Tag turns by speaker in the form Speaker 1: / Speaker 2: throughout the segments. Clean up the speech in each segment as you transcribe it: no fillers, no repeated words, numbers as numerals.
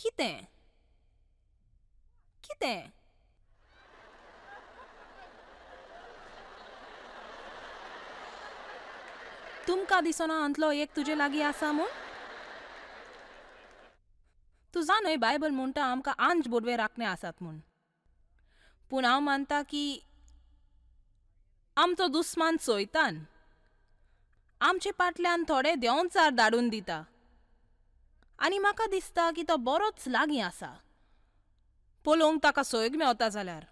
Speaker 1: कितें कितें तुमकां दिसना अंतलो एक तुजे लागीं आसा म्हूण? तूं जाणय बायबल म्हणटा आमकां आंज बोडवे राखणे आसात म्हूण. पूण हांव मानता की आमचो दुस्मान सोयतान आमचे पाटल्यान थोडे देंवचार धाडून दिता आनी म्हाका दिसता की तो बरोच लागीं आसा पळोवंक ताका सोयग मेवता जाल्यार.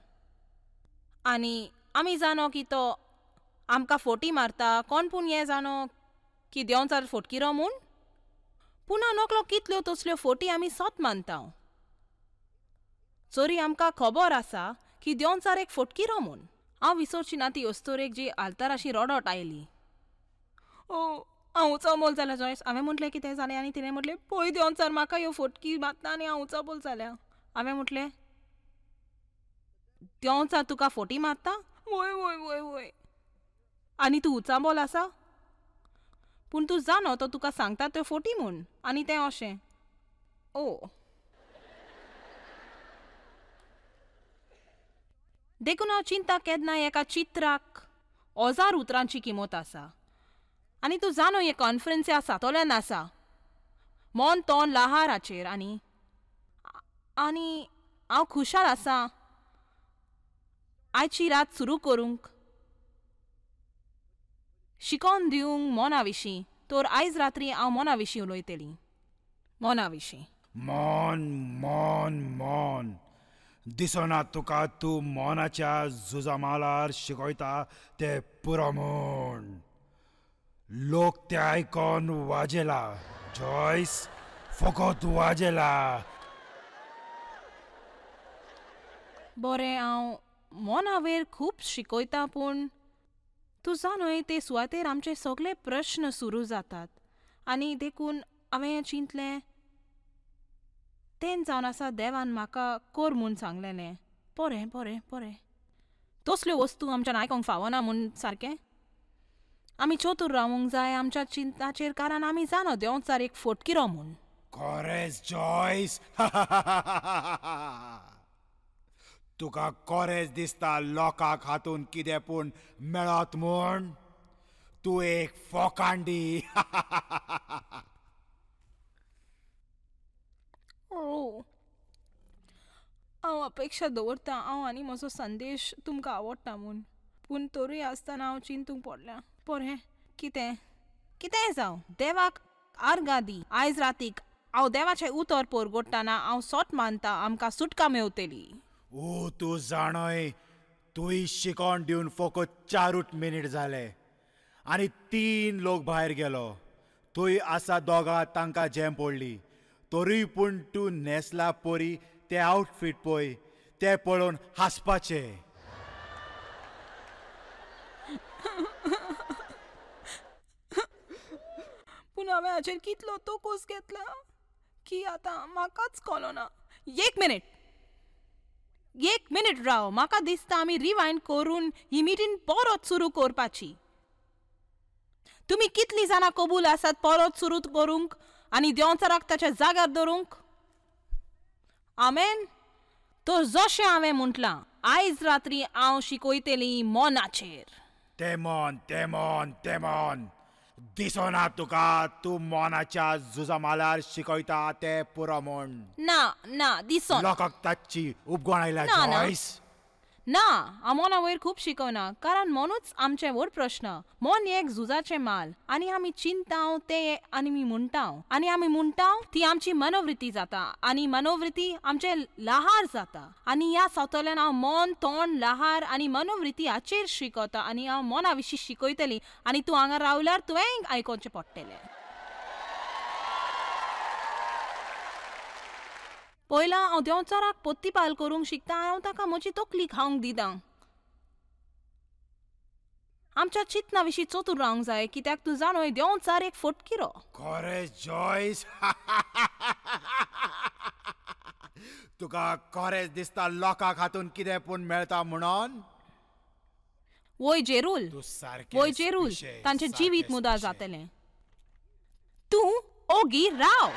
Speaker 1: आनी आमी जाणो की तो आमकां फोटी मारता. कोण पूण हें जाणो की देंवचार फोटकिरो म्हूण? पूण हांव नकलो कितल्यो तसल्यो फोटी आमी सत मानता. चोरी आमकां खबर आसा की देंवचार एक फोटकिरो म्हूण. हांव विसरची ना ती अस्तोरेक जी आल्ताराशी रडत आयली. ओ हांव उचांबळ जाल्या जॉयस. हांवें म्हटलें कितें जालें आनी तिणें म्हटलें पळय देंवचार म्हाका ह्यो फोटकी मारता आनी हांव उचांबळ जाल्या. हांवें म्हटलें देंवचार तुका फोटी मारता? वय वय वय वय. आनी तूं उचांबळ आसा? पूण तूं जाणो तो तुका सांगता त्यो फोटी म्हूण. आनी तें अशें ओ देखून हांव चिंता केन्ना एका चित्राक 1000 उतरांची किंमत आसा. आनी तूं जाणो हे कॉन्फरन्स ह्या सातोल्यान आसा मन तोंड लहाराचेर. आनी आनी हांव खुशाल आसा आयची रात सुरू करूंक शिकोवन दिवंक मना विशीं. तर आयज रात्री हांव मना विशीं उलयतली. मना विशीं.
Speaker 2: मन मन मन दिसना तुका तूं मनाच्या झुजामालार शिकयता ते पुरो म्हूण. लोक ते आयकोन वाजेला जॉयस, फकत वाजेला.
Speaker 1: बरें हांव मनावेर खूब शिकयता पूण तूं जाणय ते सुवातेर आमचे सगळे प्रश्न सुरू जातात. आनी देखून हांवें चिंतलें तें जावन आसा देवान म्हाका कर म्हूण सांगलेलें. बरें बरें बरें तसल्यो वस्तू आमच्यान आयकोंक फावना म्हूण सारकें आमी चतूर रावूंक जाय आमच्या चिंताचेर, कारण आमी जाणो देंवचार एक फोटकिरो म्हूण.
Speaker 2: कोरेज जॉयस, तुका कोरेज दिसता लोकांक हातून कितें पूण मेळत म्हूण? तूं एक फोकांडी.
Speaker 1: ओ हांव अपेक्षा दवरता हांव आनी म्हजो संदेश तुमकां आवडटा म्हूण, पूण तरूय आसतना हांव चिंतूंक पडल्या. बरें कितें कितेंय जावं देवाक आर्गां दी. आयज रातीक हांव देवाचें उतर परगोडटना हांव सोट मानता आमकां सुटका मेवतली.
Speaker 2: ओ तूं जाणय तुवें शिकोवन दिवन फकत 4 मिनीट जाले आनी 3 लोक भायर गेलो. थंय आसा दोगां तांकां जेम पडली. तरूय पूण तूं न्हेसला परी तें आवटफीट पळय, तें पळोवन हांसपाचें.
Speaker 1: पूण हांवें हाचेर कितलो तोकोस घेतला की आतां म्हाकाच कळना. एक मिनीट एक मिनीट राव, म्हाका दिसता आमी रिवायंड करून ही मिटींग परत सुरू करपाची. तुमी कितलीं जाणां कबूल आसात परत सुरू करूंक आनी देंवचाराक ताच्या जाग्यार दवरूंक? आमेन. तर जशें हांवें म्हटलां आयज रात्री हांव शिकयतली मनाचेर.
Speaker 2: तें मन तें मन तें मन दिसना तुका तूं मनाच्या झुजामालार शिकयता तें पुरो म्हूण?
Speaker 1: ना ना दिसना.
Speaker 2: लोकांक ताची उपगण आयल्या जॉयस.
Speaker 1: ना हांव मना वयर खूब शिकयना, कारण मनूच आमचें व्हड प्रश्न. मन एक झुजाचें माल आनी आमी चिंताव तें आनी आमी म्हणटाव आनी आमी म्हणटाव ती आमची मनोवृत्ती जाता आनी मनोवृत्ती आमचें लहार जाता. आनी ह्या सावतल्यान हांव मन तोंड लहार आनी मनोवृत्ती हाचेर शिकयता आनी हांव मना विशीं शिकयतली. आनी तूं हांगा रावल्यार तुवें आयकोवचें पडटलें. पयला हांव देंवचाराक पोत्तीपाल करूंक शिकता आनी हांव ताका म्हजी तकली खावंक दिता. आमच्या चिंतना विशीं चतूर रावंक जाय, कित्याक तूं जाणोय देंवचार एक फोटकिरो.
Speaker 2: कोरेज जॉयस, तुका कोरेज दिसता लोकांक हातून कितें पूण मेळटा म्हणून?
Speaker 1: वय जेरूल, वय जेरूल, तांचें जिवीत मुदार जातलें. तूं ओगी राव.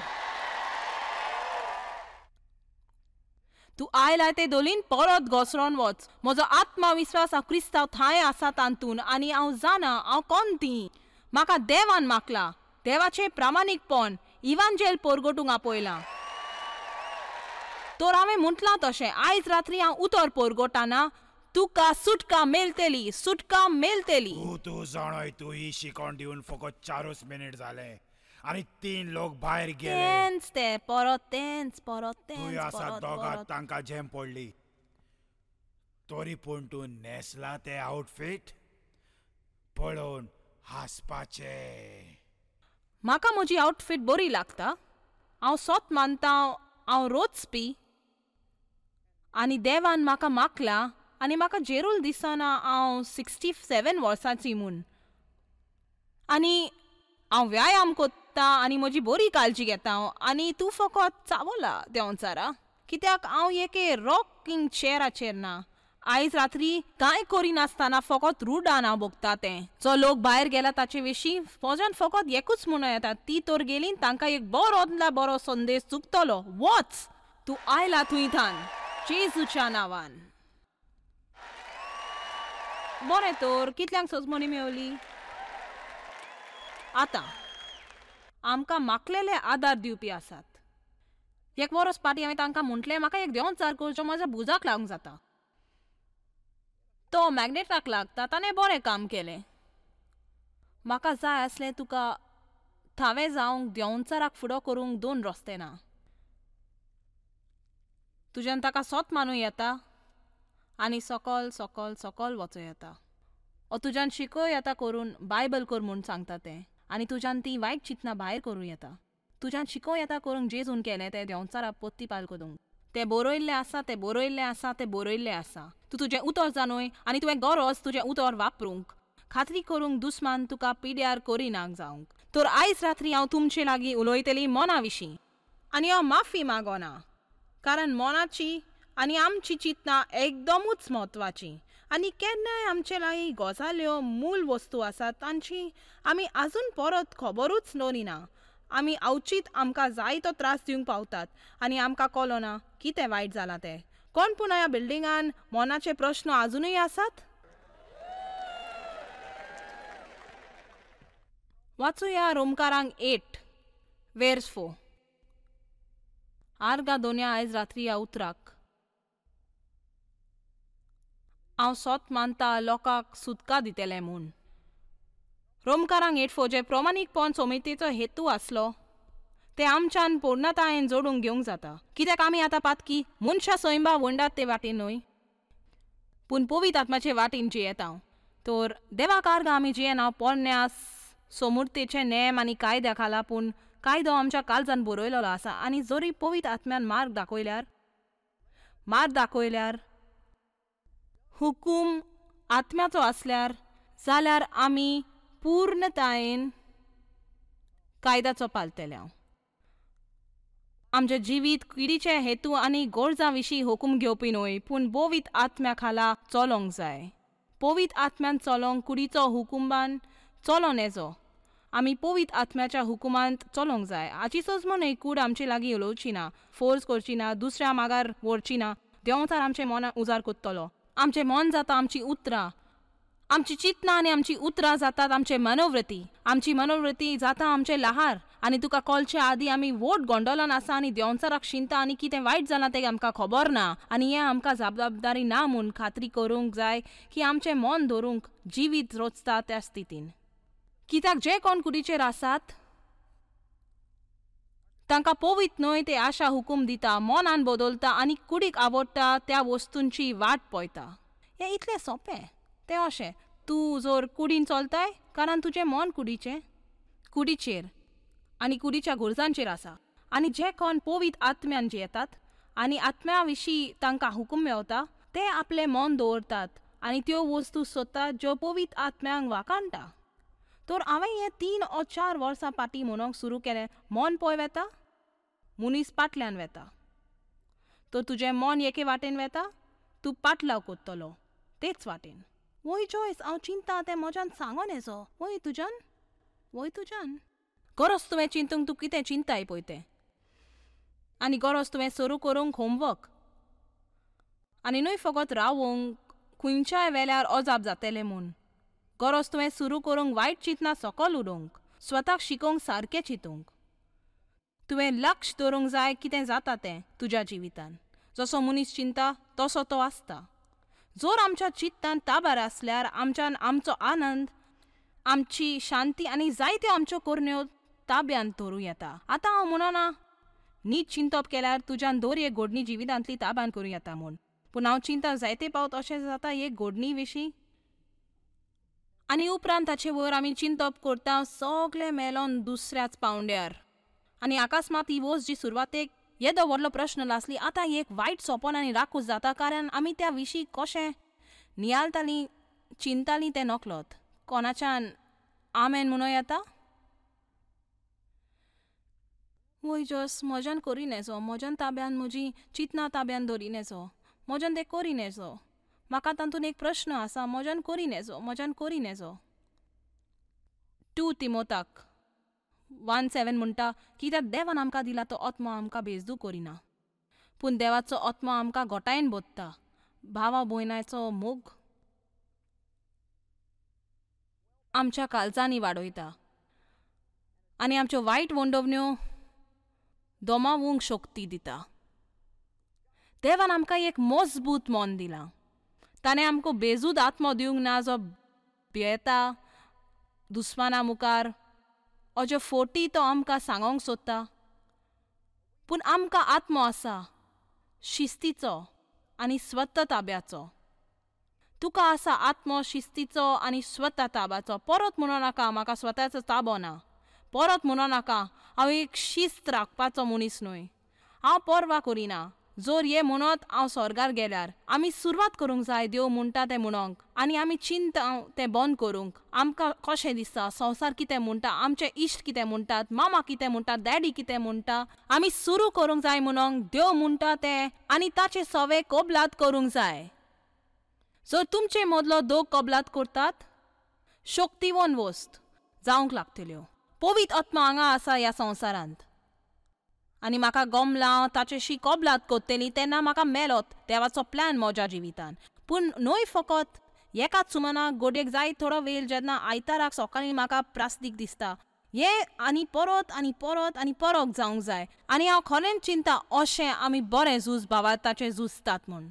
Speaker 1: तूं आयला ते दोलीन परत घसरोन वच. म्हजो आत्मविस्वास हांव क्रिस्तांव थांय आसा तातूंत आनी हांव जाणा हांव कोण ती. म्हाका देवान मागला, देवाचें प्रामाणीकपण इवांजेल पोरगोटूंक आपयलां. तर हांवें म्हटलां तशें आयज रात्री हांव उतर पोरगोटाना तुका सुटका मेळटली, सुटका मेळटली.
Speaker 2: तूं जाणोय तूं ही शिकोण दिवन फकत 4 मिनीट जाले आनी 3 लोक भायर गेले.
Speaker 1: तेंच ते परत तेंच परत तेंच.
Speaker 2: तूं आसा दोगां तांकां झेम पडली. तरी पूण तूं न्हेसला तें आउटफीट पळोवन हांसपाचें.
Speaker 1: म्हाका म्हजी आउटफीट बरी लागता. हांव सोत मानता, हांव रोचपी आनी देवान म्हाका मागला आनी म्हाका जेरूल दिसना हांव 67 वर्सांची म्हूण. आनी हांव व्यायाम कोत्ता आनी म्हजी बरी काळजी घेता हांव. आनी तूं फकत चावला देंवचारा, कित्याक हांव एके रॉकिंग चेराचेर ना. आयज रात्री कांय करिनासतना फकत रुडान हांव भोगता तें. जो लोक भायर गेला ताचे विशीं म्हज्यान फकत एकूच म्हणूं येता, ती तर गेली तांकां एक बरो बरो संदेश चुकतलो. वच, तूं आयला थंय थान जेजूच्या नांवान. बरें तर कितल्यांक सजमणी मेवली? आतां आमकां मागलेले आदार दिवपी आसात. एक वरस पाटी हांवें तांकां म्हटलें म्हाका एक देंवचार करचो म्हज्या भुजाक लागूंक जाता. तो मॅग्नेटाक लागता, ताणें बरें काम केलें. म्हाका जाय आसलें तुका थावें जावंक देंवचाराक फुडो करूंक 2 रस्ते ना. तुज्यान ताका सोत मानूं येता आनी सकल सकल सकल वचूं येता. ओ तुज्यान शिकोय येता करून बायबल कर म्हूण सांगता तें, आनी तुज्यान ती वायट चिंतना भायर करूं येता. तुज्यान शिकोवं येता करूंक जेजून केलें तें देंवचारा पोत्तीपाल करूंक. तें बरयल्लें आसा, तें बरयल्लें आसा, तें बरयल्लें आसा. तूं तुजें उतर जाणूय आनी तुवें गरज तुजें उतर वापरूंक, खात्री करूंक दुस्मान तुका पिड्यार करिनाक जावंक. तर आयज रात्री हांव तुमचे लागीं उलयतली मना विशीं आनी हांव माफी मागना, कारण मनाची आनी आमची चिंतना एकदमूच म्हत्वाची आनी केन्नाय आमचे लागीं गजाल्यो मूल वस्तू आसात तांची आमी आजून परत खबरूच दवरिना. आमी अवचीत आमकां जायतो त्रास दिवंक पावतात आनी आमकां कळना कितें वायट जालां तें. कोण पूण ह्या बिल्डिंगान मनाचे प्रश्न आजुनूय आसात? वाचुया रोमकारांक 8:4. आर्गा दोन्या आयज रात्री ह्या उतराक. हांव सोत मानता लोकांक सुटका दितलें म्हूण. रोमकारांक 8:4 जे प्रमाणीकपण समितीचो हेतू आसलो ते आमच्यान पूर्णतायेन जोडूंक घेवंक जाता. कित्याक आमी आतां पातकी मनशां सैंबा वंडात ते वाटेन न्हय, पूण पवित्र आत्माचे वाटेन जियेता. तर देवाक आर्गां आमी जियेना पोरण्या सोमुर्तेचे नेम आनी कायद्या खाला, पूण कायदो आमच्या काळजान बरयलेलो आसा आनी जरी पवित्र आत्म्यान मार्ग दाखयल्यार हुकूम आत्म्याचो आसल्यार जाल्यार आमी पूर्णतायेन कायद्याचो पालतले. आमचें जिवीत किडीचे हेतू आनी गरजां विशीं हुकूम घेवपी न्हय, पूण पवित्र आत्म्या खाला चलोंक जाय. पवित्र आत्म्यान चलोंक कुडीचो हुकुमान चलोन येजो. आमी पवित्र आत्म्याच्या हुकुमांत चलोंक जाय. हाची सजमण कूड आमचे लागीं उलोवची ना, फोर्स करची ना, दुसऱ्या मागार व्हरची ना. देंवचार आमचें मनां उजार कोत्तलो. आमचें मन जाता आमची उतरां, आमची चिंतना आनी आमची उतरां जातात आमचे मनोवृत्ती, आमची मनोवृत्ती जाता आमचें लहार. आनी तुका कळचे आदीं आमी वोट गोंडोलान आसा आनी देंवचाराक शिंता आनी कितें वायट जालां तें आमकां खबर ना. आनी हें आमकां जबाबदारी ना म्हूण खात्री करूंक जाय की आमचें मन धरूंक जिवीत रोचता त्या स्थितीन. कित्याक जे कोण कुडीचेर आसात तांकां पवित्र न्हय ते आशा हुकूम दिता, मनान बदलता आनी कुडीक आवडटा त्या वस्तूंची वाट पळयता. हें इतलें सोंपें. तें अशें तूं जर कुडीन चलताय कारण तुजें मन कुडीचें कुडीचेर आनी कुडीच्या गरजांचेर आसा. आनी जे कोण पवित्र आत्म्यान जियेतात आनी आत्म्या विशीं तांकां हुकूम मेवता ते आपलें मन दवरतात आनी त्यो वस्तू सोदतात ज्यो पवित्र आत्म्यांक वाखाणटा. तर हांवें हें 3 or 4 वर्सां फाटीं म्हणूंक सुरू केलें, मन पळय वेता मनीस पाटल्यान वेता. तर तुजें मन एके वाटेन वेता, तूं पाटलाव कोत्तलो तेच वाटेन. वय जॉयस, हांव चिंता तें म्हज्यान सांगोन येजो. वय तुज्यान, वय तुज्यान गरज तुवें चिंतूंक तूं कितें चिंताय पळय तें. आनी गरज तुवें सुरू करूंक होमवर्क. आनी न्हय फकत रावोंक खंयच्याय वेल्यार अजाप जातलें म्हूण. गरज तुवें सुरू करूंक वायट चिंतना सकल उडोवंक, स्वताक शिकोवंक सारकें चिंतूंक. तुवें लक्ष दवरूंक जाय कितें जाता तें तुज्या जिवितान. जसो मनीस चिंता तसो तो आसता. जर आमच्या चित्तान ताबार आसल्यार आमच्यान आमचो आनंद, आमची शांती आनी जायत्यो आमच्यो करण्यो ताब्यांत धरूं येता. आतां हांव म्हणना नीट चिंतप केल्यार तुज्यान दर एक घडणी जिवितांतली ताब्यान करूं येता म्हूण, पूण हांव चिंता जायते पावत अशें जाता एक घडणी विशीं आनी उपरांत ताचे वयर आमी चिंतप करता सगळें मेलोन दुसऱ्याच पावंड्यार. आनी अकस्मात ही वस्त जी सुरवातेक येदो व्हडलो प्रश्न आसली आतां एक वायट सोंपण आनी राकूस जाता, कारण आमी त्या विशीं कशें नियाळटालीं चिंतालीं तें नकळत. कोणाच्यान आमेन म्हणूं येता? वय जस म्हज्यान करी नेजो, म्हज्यान ताब्यान म्हजी चिंतना ताब्यान दवरी नेजो, म्हज्यान तें करी नेजो, म्हाका तातूंत एक प्रश्न आसा, म्हज्यान करी नेजो, म्हज्यान करी नेजो. 2 तिमोताक 1:7 म्हणटा कित्याक देवान आमकां दिला तो आत्मो आमकां बेजदू करिना, पूण देवाचो आत्मो आमकां गोटायेन बोत्ता. भावा भयणाचो मोग आमच्या काळजांनी वाडयता आनी आमच्यो वायट वंडवण्यो दोमावूंक शक्ती दिता. देवान आमकां एक मजबूत मन दिलां. ताणें आमकां बेजूद आत्मो दिवंक ना जो भियेता दुस्माना मुखार, अज्यो फोटी तो आमकां सांगोंक सोदता, पूण आमकां आत्मो आसा शिस्तीचो आनी स्वता ताब्याचो. तुका आसा आत्मो शिस्तीचो आनी स्वता ताब्याचो. परत म्हणो नाका म्हाका स्वताचो ताबो ना, परत म्हणो नाका हांव एक शिस्त राखपाचो मनीस न्हय, हांव पर्वा करिना. जोर ये म्हणत हांव स्वर्गार गेल्यार आमी सुरवात करूंक जाय देव म्हणटा तें म्हणोंक आनी आमी चिंता तें बंद करूंक. आमकां कशें दिसता संवसार कितें म्हणटा, आमचे इश्ट कितें म्हणटात, मामा कितें म्हणटा, डॅडी कितें म्हणटा, आमी सुरू करूंक जाय म्हणोंक देव म्हणटा तें आनी ताचे सवे कबलात करूंक जाय. जर तुमचे मदलो दोग कबलात करतात शक्तिवन वस्त जावंक लागतल्यो. पवित्र आत्मा हांगा आसा ह्या संवसारांत आनी म्हाका गमलां ताचेशी कबलात करतली तेन्ना म्हाका मेलोत देवाचो प्लॅन म्हज्या जिवितान. पूण न्हय फकत एकाच सुमनाक गोडयेक जाय थोडो वेळ जेन्ना आयताराक सकाळीं म्हाका प्रास्तीक दिसता हें आनी परत आनी परत आनी परत जावंक जाय. आनी हांव खरेंच चिंता अशें आमी बरें झूज भावार्थाचें झुजतात म्हूण.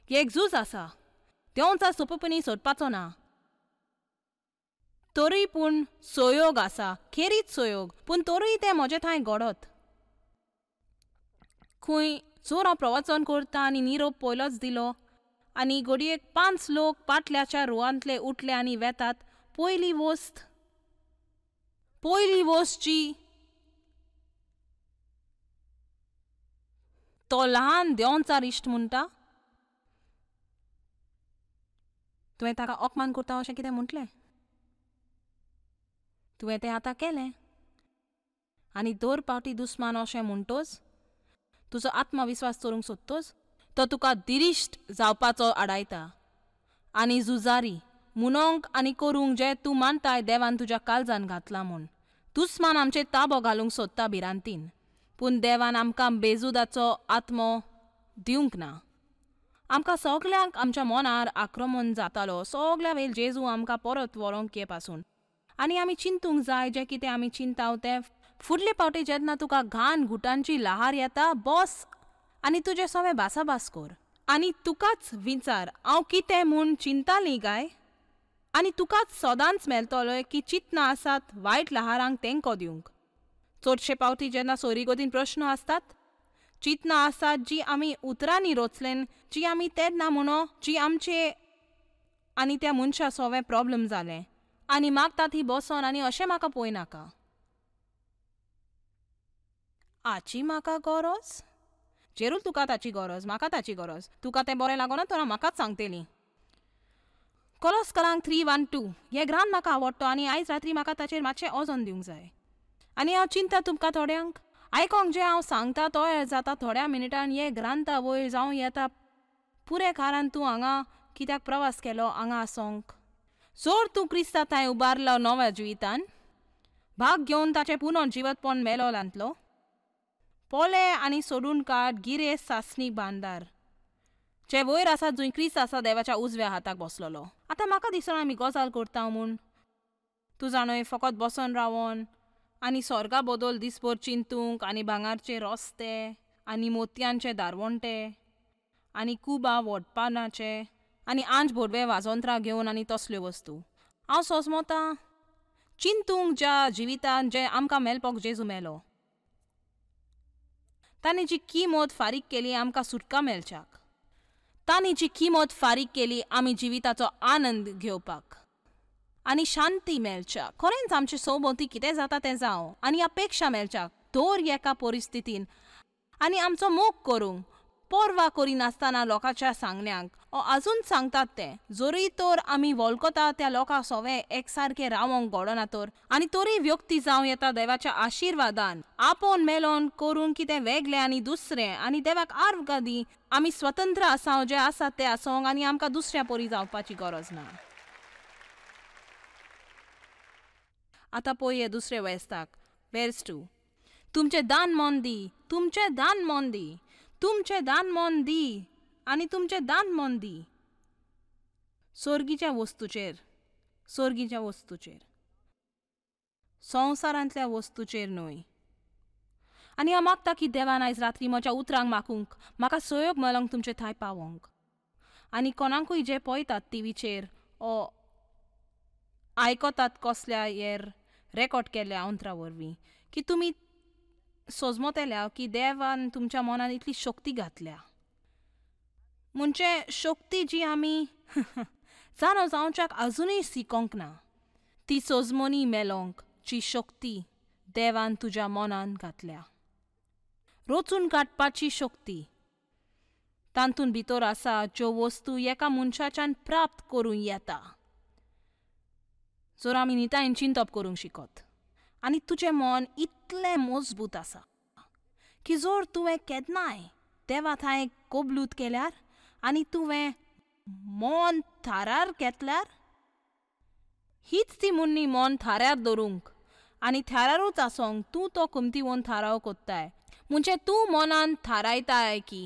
Speaker 1: एक झूज आसा देंवचार सोंपेपणी सोदपाचो ना, तरूय पूण सहयोग आसा, खेरीत सहयोग, पूण तरूय तें म्हजे थंय घडत. खंय जोर हांव प्रवचन करता आनी निरोप पयलोच दिलो आनी घडयेक 5 लोक पाटल्याच्या रुवांतले उठले आनी वेतात. पयली वस्त जी तो ल्हान देंवचार इश्ट म्हणटा, तुवें ताका अपमान करता अशें कितें म्हटलें, तुवें तें आतां केलें. आनी दर पावटी दुस्मान अशें म्हणटोच तुजो आत्मविस्वास चोरूंक सोदतोच तो तुका दिरिश्ट जावपाचो आडायता. आनी झुजारी म्हणोंक आनी करूंक जें तूं मानताय देवान तुज्या काळजान घातलां म्हूण. दुस्मान आमचेर ताबो घालूंक सोदता भिरांतीन, पूण देवान आमकां बेजुदाचो आत्मो दिवंक ना. आमकां सगल्यांक आमच्या मनार आक्रमण जातालो सगल्या वेळ जेजू आमकां परत व्हरोंक ये पासून. आनी आमी चिंतूंक जाय जें कितें आमी चिंताव तें फुडले पावटी जेन्ना तुका घाण घुटांची लहार येता बस आनी तुजें सगळें भासाभास कर आनी तुकाच विचार हांव कितें म्हूण चिंताली काय, आनी तुकाच सदांच मेळटलो की चिंतना आसात वायट लहारांक तेंको दिवंक. चडशे पावटी जेन्ना सोरीगोदीन प्रश्न आसतात चिंतना आसात जी आमी उतरांनी रोचलेन, जी आमी तेन्ना म्हणो जी आमचे आनी त्या मनशा सोवें प्रॉब्लम जालें आनी मागता ती बसोन आनी अशें म्हाका पळय नाका. आची म्हाका गरज जेरूल तुका ताची गरज, म्हाका ताची गरज, तुका तें बरें लागोना तर हांव म्हाकाच सांगतली. कोलोस्करांक 3:1-2 हें ग्रांत म्हाका आवडटा आनी आयज रात्री म्हाका ताचेर मातशें ओजोन दिवंक जाय. आनी हांव चिंता तुमकां थोड्यांक आयकोंक जें हांव सांगता तयार जाता थोड्या मिनटान हे ग्रांता वयर जावं येता पुरे कारण तूं हांगा कित्याक प्रवास केलो हांगा आसोंक. जोर तूं क्रिस्ता थंय उबारलो नव्या जिवितान भाग घेवन ताचें पुनः जिवतपण मेलोलांतलो पोले आनी सोडून काड गिरे सासणी बांदार. जे वयर आसा जंय क्रिस्त आसा देवाच्या उजव्या हाताक बसलेलो. आतां म्हाका दिसना आमी गजाल करता म्हूण. तूं जाणय फकत बसोन रावोन आनी स्वर्गा बदल दिसभर चिंतूंक आनी भांगारचे रस्ते आनी मोतयांचे दारवंटे आनी कुबा वोडपानाचे आनी आंज बोडवे वाजोंत्रां घेवन आनी तसल्यो वस्तू. हांव सोजमोता चिंतूंक ज्या जिवितान जें आमकां मेळपाक जेजू मेलो, तांणी जी किमत फारीक केली आमकां सुटका मेळच्याक, तांणी जी किमत फारीक केली आमी जिविताचो आनंद घेवपाक आनी शांती मेळच्याक, खरेंच आमचे सोबोती कितें जाता तें जावं आनी अपेक्षा मेळच्याक दर एका परिस्थितीन आनी आमचो मोग करूंक पर्वा करिनासतना लोकांच्या सांगण्यांक ओ आजून सांगतात तें जरूय तर आमी वळखता त्या लोकां सोवे एकसारकें रावोंक घडना तर आनी तरी व्यक्ती जावं येता देवाच्या आशिर्वादान आपोवन मेलोन करून कितें वेगळें आनी दुसरें आनी देवाक आर्गां दी. आमी स्वतंत्र आसा जे आसा ते आसोंक आनी आमकां दुसऱ्या परी जावपाची गरज ना. आतां पळय दुसरे वेस्ताक वेर्स 2. तुमचें दान मन दी, तुमचें दान मन दी, तुमचें दान मन दी आनी तुमचें दान मन दी सोर्गीच्या वस्तूचेर, सोर्गीच्या वस्तूचेर, संवसारांतल्या वस्तूचेर न्हय. आनी हांव मागता की देवान आयज रात्री म्हज्या उतरांक मागूंक म्हाका सहयोग मेळोंक तुमचे थंय पावोंक आनी कोणाकूय जे पळयतात टिवीचेर ओ आयकतात कसल्या हेर रेकॉर्ड केल्ल्या अंतरा वरवीं की तुमी सोजमोतेल्या की देवान तुमच्या मनान इतली शक्ती घातल्या, म्हणजे शक्ती जी आमी जाणो जावच्याक आजुनूय शिकोंक ना, ती सोजमोनी मेलोंक जी शक्ती देवान तुज्या मनान घातल्या, रोचून काडपाची शक्ती तातूंत भितर आसा ज्यो वस्तू एका मनशाच्यान प्राप्त करूं येता जर आमी नितायन चिंतप करूंक शिकत. आनी तुजें मन इतलें मजबूत आसा की जर तुवें केन्नाय देवा थंय कबलूत केल्यार आनी तुवें मन थारार घेतल्यार, हीच ती मुन्नी मन थाऱ्यार दवरूंक आनी थारारूच आसोंक तूं तो कुमतीवन थाराव कोत्ताय, म्हणजे तूं मनान थारायताय की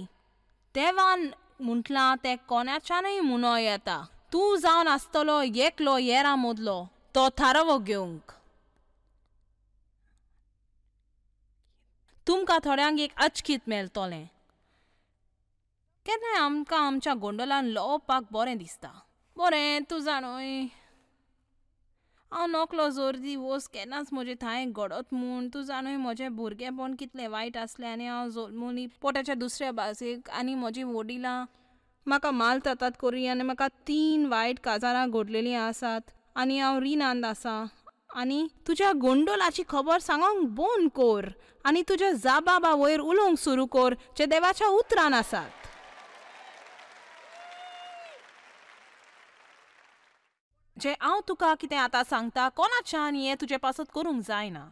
Speaker 1: देवान म्हटलां तें कोणाच्यानूय म्हणो येता, तूं जावन आसतलो एकलो येरा मदलो तो थारावो घेवंक. तुमकां थोड्यांक एक अचकीत मेळटलें. केन्नाय आमकां आमच्या गोंडोलान लोवपाक बरें दिसता. बरें तूं जाणोय हांव नकलो जोर दी वोस केन्नाच म्हजे थंय घडत म्हूण, तूं जाणोय म्हजें भुरगेंपण कितलें वायट आसलें आनी हांव जल्मली पोटाच्या दुसऱ्या बाजूक आनी म्हजी वडिलां म्हाका मालतात करी आनी म्हाका 3 वायट काजारां घडलेलीं आसात आनी हांव रिणांत आसा. आनी तुज्या गोंडोलाची खबर सांगोंक बंद कर आनी तुज्या जाबाबा वयर उलोवंक सुरू कर जे देवाच्या उतरान आसात. जे हांव तुका कितें आतां सांगता कोणाच्यान हें तुजे पासत करूंक जायना,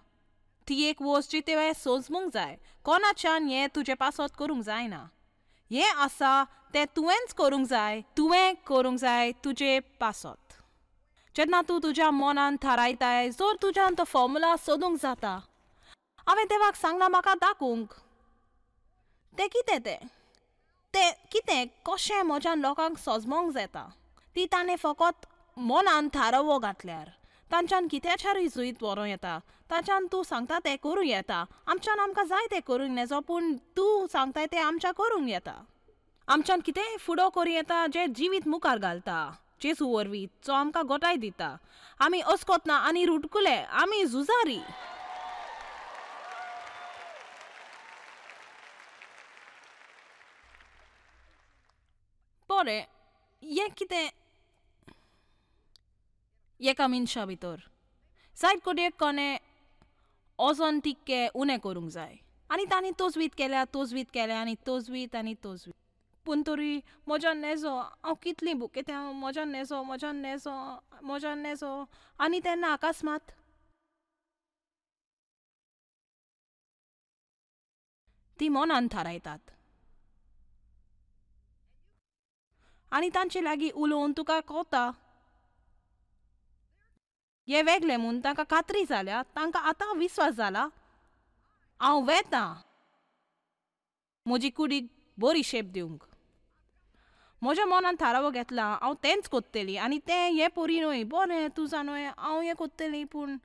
Speaker 1: ती एक वस्त जी तुवें सोजमूंक जाय, कोणाच्यान हें तुजे पासत करूंक जायना, हें आसा तें तुवेंच करूंक जाय, तुवें करूंक जाय तुजे पासत. जेन्ना तूं तुज्या मनान थारायताय जर तुज्यान तो फॉर्मुला सोदूंक जाता, हांवें देवाक सांगलां म्हाका दाखोवंक तें कितें, तें तें कितें कशें म्हज्यान लोकांक सोजमोंक जाता, ती ताणें फकत मनान थारावो घातल्यार तांच्यान कित्याच्यारूय जुयत व्हरूं येता, तांच्यान तूं सांगता तें करूं येता, आमच्यान आमकां जाय तें करूंक नेजो पूण तूं सांगताय तें आमच्या करूंक येता, आमच्यान कितेंय फुडो करूं येता जें जिवीत मुखार घालता जेजू वरवीं जो आमकां गोटाय दिता. आमी अस्कोत ना आनी रुटकुले, आमी झुजारी. बरें हें कितें एका मनशा भितर जायत कोडयेक कोणें ओजोन तिक्के उणें करूंक जाय आनी तांणी तोजवीत केल्या, तोजवीत केल्या आनी तोजवीत आनी तोजवीत, पूण तरी म्हज्यान नेजो हांव कितलीं भुकेता, म्हज्यान नेजो, म्हज्यान नेजो, म्हज्यान नेजो. आनी तेन्ना अकस्मात ती मनान थारायतात आनी तांचे लागीं उलोवन तुका कोता हे वेगळे म्हूण तांकां खात्री जाल्या, तांकां आतां विस्वास जाला हांव वेता म्हजी कुडीक बरी शेप दिवंक, म्हज्या मनान थारावो घेतला हांव तेंच कोत्तली आनी तें हें पोरी न्हय. बरें तूं जाणूय हांव हें कोत्तली, पूण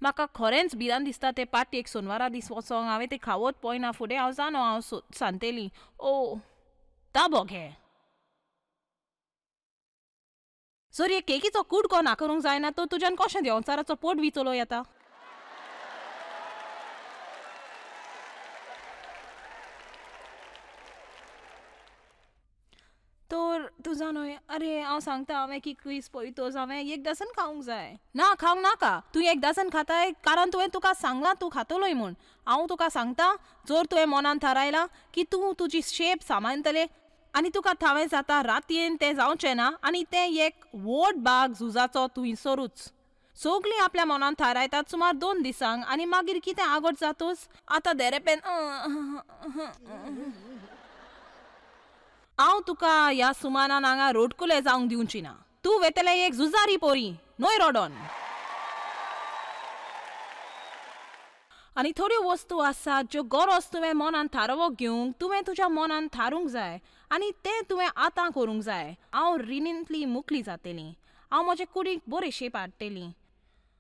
Speaker 1: म्हाका खरेंच भिरांत दिसता ते पाटयेक सोनवारा दीस वचोंक. हांवें तें खावत पळयना फुडें हांव जाणो हांव सांगतली. ओ ताबो घे. जर हे केकीचो कुडको ना करूंक जायना तर तुज्यान कशें देंवचाराचो पोट बी चलोवं येता? तर तूं जाणूय, अरे हांव सांगता हांवें की क्वीज पळयतोच हांवें एक डझन खावंक जाय. ना खावंक नाका. तूं एक डझन खाताय कारण तुवें तुका सांगलां तूं खातलोय म्हूण. हांव तुका सांगता जर तुवें मनान थारायलां की तूं तुजी शेप सांबाळटलें आनी तुका थावें जाता रातयेन तें जावचें ना आनी तें एक व्हड बाग झुजाचो थंयसरूच. सगळीं आपल्या मनान थारायतात सुमार 2 दिसांक आनी मागीर कितें आगोट जातूच आतां देरेपेन. हांव तुका ह्या सुमानान हांगा रोडकुले जावंक दिवची ना. तूं वेतलें एक झुजारी पोरी न्हय रोडोन. आनी थोड्यो वस्तू आसात ज्यो गरज तुवें मनान थारावो घेवंक तुवें तुज्या मनान थारूंक जाय आनी तें तुवें आतां करूंक जाय. हांव रिणींतली मुकली जातली. हांव म्हजे कुडीक बरी शेप हाडटली.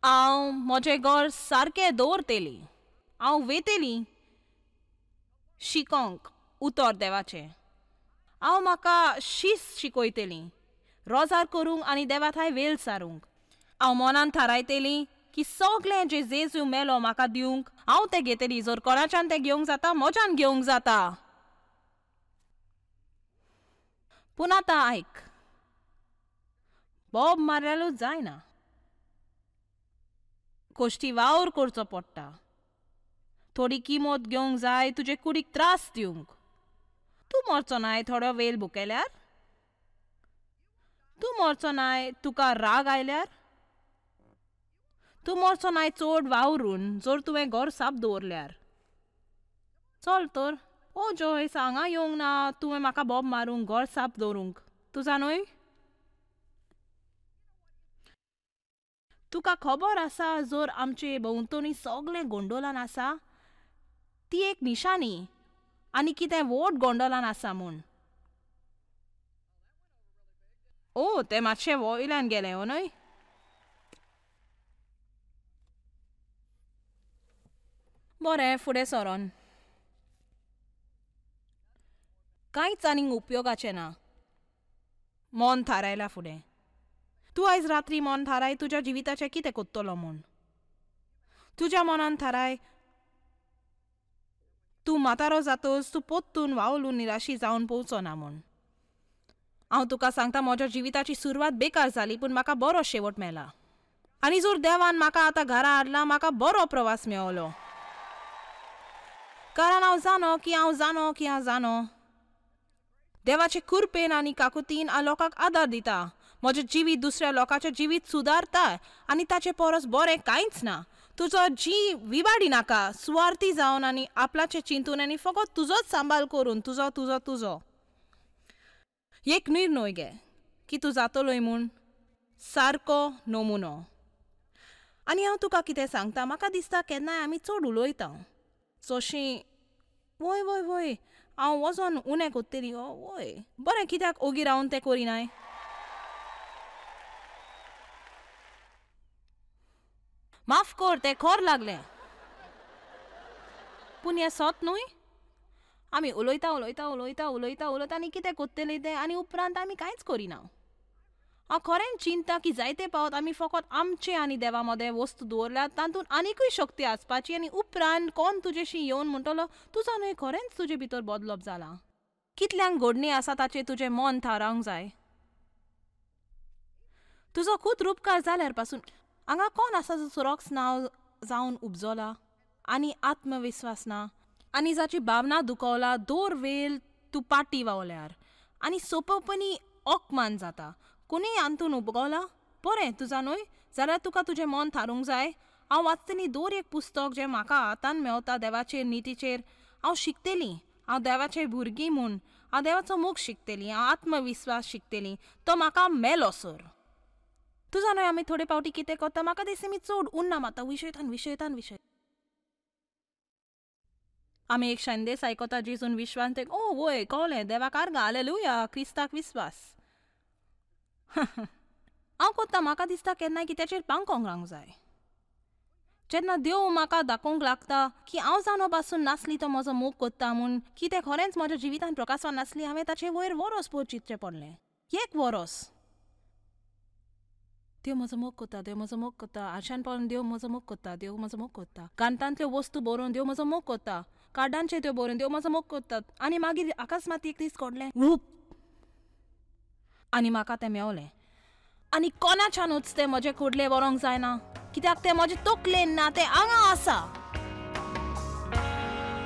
Speaker 1: हांव म्हजें घर सारकें दवरतली. हांव वेतली शिकोंक उतर देवाचें. हांव म्हाका शिस्त शिकयतली रोजार करूंक आनी देवा थांय वेल सारूंक. हांव मनान थारायतली की सगळें जें जेजू मेलो म्हाका दिवंक हांव तें घेतली. जर कोणाच्यान तें घेवंक जाता म्हज्यान घेवंक जाता. पूण आतां आयक, बोब मारल्यारूच जायना, कोश्टी वावर करचो पडटा. थोडी किमत घेवंक जाय तुजे कुडीक त्रास दिवंक. तूं मरचो नाय थोडो वेळ भुकेल्यार, तूं मरचो नाय तुका राग आयल्यार, तूं मरचो नाय चड वावरून जर तुवें घर साफ दवरल्यार. चल तर. ओ जॉयस हांगा येवंक ना तुवें म्हाका बोब मारूंक घर साफ दवरूंक. तूं जाणूय, तुका खबर आसा जर आमचे भोंवतणी सगळें गोंडोलान आसा ती एक निशाणी आनी कितें व्हड गोंडोलान आसा म्हूण. ओ तें मातशें वयल्यान गेलें हो न्हय. बरें फुडें सरोन. कांयच आनीक उपयोगाचें ना. मन थारायलां फुडें. तूं आयज रात्री मन थाराय तुज्या जिविताचें कितें कोत्तलो म्हूण. तुज्या मनान थाराय तूं म्हातारो जातोच तूं पोत्तून वावलून निराशी जावन पोवचो ना म्हूण. हांव तुका सांगता म्हज्या जिविताची सुरवात बेकार जाली पूण म्हाका बरो शेवट मेळ्ळा. आनी जर देवान म्हाका आतां घरा हाडला म्हाका बरो प्रवास मेळलो. कारण हांव जाणो की हांव जाणो की हांव जाणो देवाचे कृपेन आनी काकुतीन हांव लोकांक आदार दिता. म्हजें जिवीत दुसऱ्या लोकांचें जिवीत सुदारता आनी ताचे परस बरें कांयच ना. तुजो जी विवाडी नाका सुवार्थी जावन आनी आपल्याचें चिंतून आनी फकत तुजोच सांबाळ करून तुजो तुजो तुजो एक निर्णय घे की तूं जातलोय म्हूण सारको नमुनो. आनी हांव तुका कितें सांगता, म्हाका दिसता केन्नाय आमी चड उलयता जशीं वय वय वय हांव वचोन उणें कोत्तली वय बरें कित्याक ओगी रावन तें करिनाय. माफ कर तें खर लागलें. पूण हें सत न्हय. आमी उलयता उलयता उलयता उलयता उलयता आनी कितें कोत्तलें तें आनी उपरांत आमी कांयच करिना. हांव खरेंच चिंता की जायते पावत आमी फकत आमचे आनी देवा मदें वस्तू दवरल्यात तातूंत आनिकूय शक्ती आसपाची आनी उपरांत कोण तुजेशी येवन म्हणटलो तुजो न्हय खरेंच तुजे भितर बदलप जालां. कितल्यांक घडणी आसा ताचेर तुजें मन थारावंक जाय. तुजो खूद रुपकार जाल्यार पासून हांगा कोण आसा जो सुरक्ष नांव जावन उपजला आनी आत्मविस्वास ना आनी जाची भावना दुखवला दर वेळ तूं पाटी वावल्यार आनी सोंपेपणी अपमान जाता. कोणीय आंतून उपगवला बरें तुजा न्हय जाल्यार तुका तुजें मन थारूंक जाय. हांव वाचतली दर एक पुस्तक जें म्हाका हातान मेवता देवाचेर नितीचेर. हांव शिकतली. हांव देवाचें भुरगीं म्हूण हांव देवाचो मोग शिकतली. हांव आत्मविस्वास शिकतली. तो म्हाका मेलो सर. तुजा न्हय आमी थोडे पावटी कितें करता म्हाका दिसता मी चड उन्ना मारता विशयतान विशयतान विशय. आमी एक संदेश आयकता जेजून विश्वास, ते ओ वय कळ्ळें, देवाक आर्गां, हालेलुया, क्रिस्ताक विस्वास. हांव कोत्ता, म्हाका दिसता केन्नाय कित्याचेर पांकोंक रावंक जाय. जेन्ना देव म्हाका दाखोवंक लागता की हांव जाणो पासून नासली तो म्हजो मोग कोत्ता म्हूण, की तें खरेंच म्हज्या जिवितान प्रकाशवान नासली, हांवें ताचे वयर वरोस पळोवन चिंतचें पडलें. एक वरोस देव म्हजो मोग कोत्ता, देव म्हजो मोग कोत्ता, आरशान पळोवन देव म्हजो मोग कोत्ता, देव म्हजो मोग कोत्ता, कांतांतल्यो वस्तू बरोवन देव म्हजो मोग कोत्ता, कार्डांचेर त्यो बरोवन देव म्हजो मोग कोत्ता. आनी मागीर अकस्मात एक दीस घडलें वूप, आनी म्हाका तें मेवलें. आनी कोणाच्यानूच तें म्हजें कुडलें व्हरूंक जायना, कित्याक तें म्हजें तकलेन ना, तें हांगा आसा.